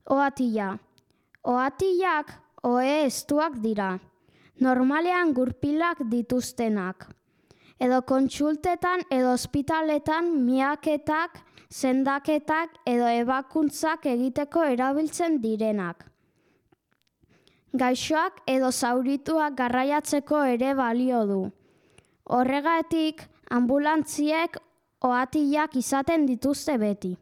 Ohatila. Ohatilak ohe estuak dira. Normalean gurpilak dituztenak. Edo kontsultetan edo ospitaletan miaketak, sendaketak edo ebakuntzak egiteko erabiltzen direnak. Gaixoak edo zaurituak garraiatzeko ere balio du. Horregatik, anbulantziek ohatilak izaten dituzte beti.